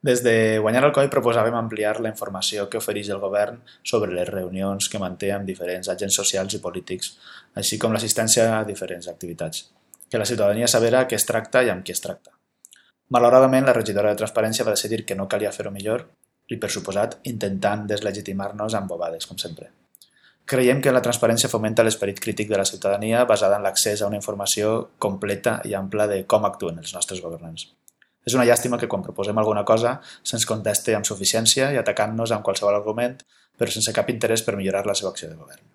Des de guanyar el COI proposàvem ampliar la informació que ofereix el govern sobre les reunions que manté amb diferents agents socials i polítics, així com l'assistència a diferents activitats. Que la ciutadania sabera què es tracta i amb qui es tracta. Malauradament, la regidora de Transparència va decidir que no calia fer-ho millor i, per suposat, intentant deslegitimar-nos amb bobades, com sempre. Creiem que la transparència fomenta l'esperit crític de la ciutadania basada en l'accés a una informació completa i ampla de com actuen els nostres governants. És una llàstima que quan proposem alguna cosa se'ns conteste amb suficiència i atacant-nos amb qualsevol argument, però sense cap interès per millorar la seva acció de govern.